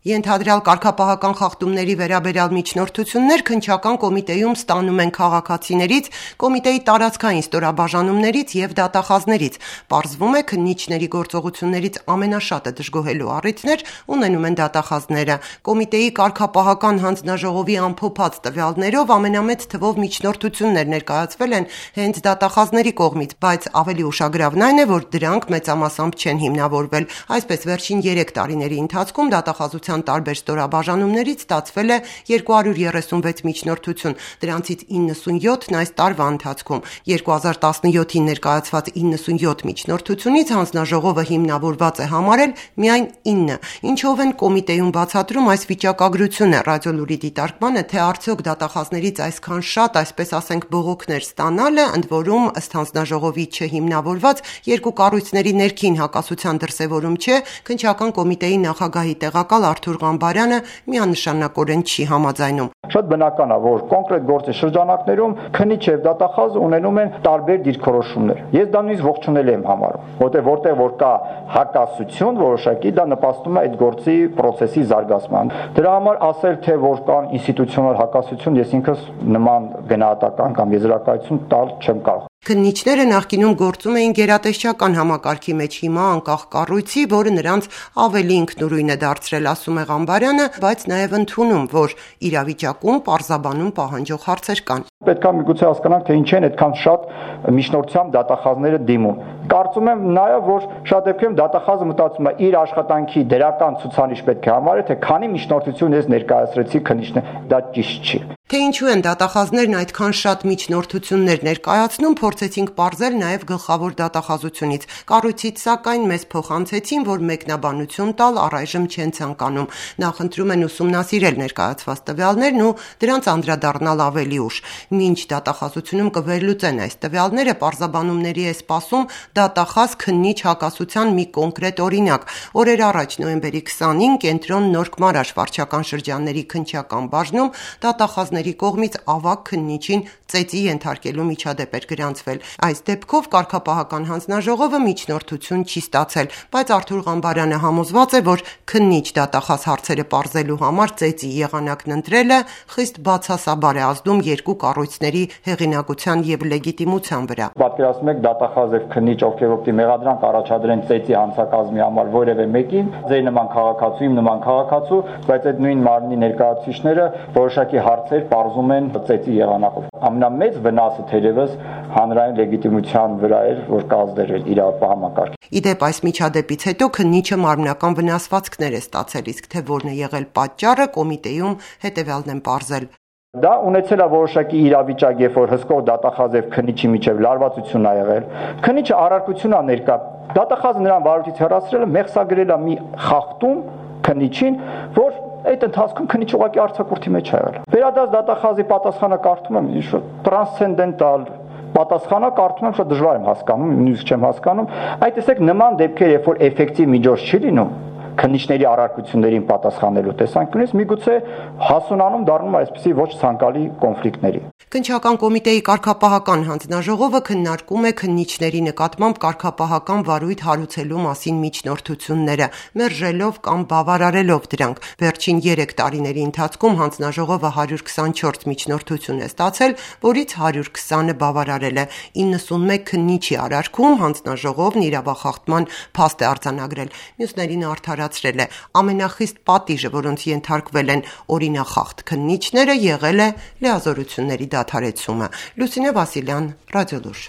Ենթադրյալ կարգապահական խախտումների վերաբերյալ միջնորդություններ քննչական կոմիտեում ստանում են քաղաքացիներից, կոմիտեի տարածքային ստորաբաժանումներից և դատախազներից։ Պարզվում է, քննիչների գործողություններից ամենաշատը դժգոհելու առիթներ ունենում են դատախազները։ Կոմիտեի կարգապահական հանձնաժողովի ամփոփած տվյալներով ամենամեծ թվով միջնորդություններ ներկայացվել են հենց դատախազների կողմից, բայց ավելի ուշագրավն այն է, որ դրանք մեծամասամբ չեն հիմնավորվել։ Այսպես, վերջին 3 տարիների ընթացքում դատախազության տարբեր ստորաբաժանումներից ստացվել է 236 միջնորդություն, դրանցից 97-ն այս տարվա ընթացքում։ 2017-ին ներկայացված 97 միջնորդությունից հանձնաժողովը հիմնավորված է համարել միայն 9, ինչով են կոմիտեում բացատրում այս վիճակագրությունը։ Ռադիոլուրի դիտարկմանը, թե արդյոք դատախազներից այսքան շատ, այսպես ասենք, բողոքներ ստանալը, ընդ որում ըստ հանձնաժողովի չհիմնավորված երկու կառույցների ներքին հակասության դրսևորում չէ, քննչական կոմիտեի նախագահի տեղակալ Արթուր Ղամբարյանը միանշանակորեն չի համաձայնում։ Շատ բնական է, որ կոնկրետ գործի շրջանակներում քննիչ եւ դատախազ ունենում են տարբեր դիրքորոշումներ։ Ես դա նույնիսկ ողջունել եմ համարում, որտեղ որ կա հակասություն որոշակի, դա նպաստում է այդ գործի process-ի զարգացման։ Դրա համար ասել, թե որ կան ինստիտուցիոնալ հակասություն, ես ինքս նման գնահատական կամ եզրակացություն տալ չեմ կարող։ Քննիչները նախկինում գործում էին գերատեսչական համակարգի մեջ, հիմա անկախ կառույցի, որը նրանց ավելի ինքնուրույն է դարձրել, ասում է Ղամբարյանը, բայց նաև ընդունում, որ իրավիճակում պարզաբանում պահանջող հարցեր կան։ Պետք է միգուցե հասկանանք, թե ինչ են այդքան շատ միջնորդությամբ դատախազները դիմում։ Կարծում եմ նաև, որ շատ դեպքերում դատախազը մտածում է իր աշխատանքի դրական ցուցանիշ պետք է համարի, թե քանի միջնորդություն ես ներկայացրեցի քննիչներ, դա ճիշտ չի։ Թե ինչու են դատախազներն այդքան շատ միջնորդություններ ներկայացնում, փորձեցինք պարզել նաև գլխավոր դատախազությունից։ Կառույցից սակայն մեզ փոխանցեցին, որ մեկնաբանություն տալ առայժմ չեն ցանկանում։ Նախընտրում են ուսումնասիրել ներկայացված տվյալներն ու դրանց անդրադառնալ ավելի ուշ։ Մինչ դատախազությունում կվերլուծեն այս տվյալները, պարզաբանումների է սպասում դատախազ քննիչ հակասության մի կոնկրետ օրինակ։ Օրեր առաջ, նոյեմբերի 20-ին, Կենտրոն Նորք Մարաշ վարչական շրջանների քննչական բաժնում դատախազների կողմից ավագ քննիչին ծեծի ենթարկելու միջադեպ էր գրանցվել։ Այս դեպքով կարգապահական հանձնաժողովը միջնորդություն չի ստացել, բայց Արթուր Ղամբարյանը համոզված է, որ քննիչ դատախազ հարցերը պարզելու համար ծեծի եղանակն ընտրելը խիստ բացասաբար է ազդում երկու կառույցների հեղինակության եւ լեգիտիմության վրա։ Պատկերացնում եք դատախազ եւ քննիչ, ովքեր որտի մեղադրանք առաջադրեն ծեծի հանցակազմի համար որևէ մեկին, ձեր նման քաղաքացու, իմ նման քաղաքացու, բայց այդ նույն մարմնի ներկայացուցիչները որոշակի հարցեր պարզում են ծեծի եղանակով։ Ամենամեծ վնասը թերևս հանրային լեգիտիմության վրա էր, որ կազդերել իրավապահ համակարգ։ Իդեպ այս միջադեպից հետո քննիչը մարմնական վնասվածքներ է ստացել, իսկ թե որն է եղել պատճառը, կոմիտեում հետևյալն են պարզել։ Դա ունեցել է որոշակի իրավիճակ, երբ որ հսկող դատախազ եւ քննիչի միջև լարվածություն ա եղել։ Քննիչը առարկություն ա ներկա։ Դատախազը նրան վարույթից հեռացրել է, մեղսագրել է մի խախտում քննիչին, որ այդ ընթացքում քննիչ ուղղակի արձակուրդի մեջ ա եղել։ Վերադարձ դատախազի պատասխանը կարդում եմ, ինչ-որ տրանսցենդենտալ պատասխանը կարդում եմ, շատ դժվար եմ հասկանում, նույնիսկ չեմ հասկանում։ Այդ տեսեք նման դեպքեր, երբ որ էֆեկտիվ միջոց չի լինում քննիչների առարկություններին պատասխանելու տեսանկյունից, միգուցե հասունանում դառնում այսպիսի ոչ ցանկալի կոնֆլիկտների։ Քննչական կոմիտեի կարգապահական հանձնաժողովը քննարկում է քննիչների նկատմամբ կարգապահական վարույթ հարուցելու մասին միջնորդությունները, մերժելով կամ բավարարելով դրանք։ Վերջին 3 տարիների ընթացքում հանձնաժողովը 124 միջնորդություն է ստացել, որից 120-ը բավարարել է։ 91 քննիչի արարքում հանձնաժողովն իրավախախտման փաստ է արձանագրել, մյուսներին արդարացրել է։ Ամենախիստ պատիժը, որոնց ենթարկվել են օրինախախտ քննիչները, եղել է լիազորությունների դադարեցումը։ Լուսինե Վասիլյան, Ռադիոլուր։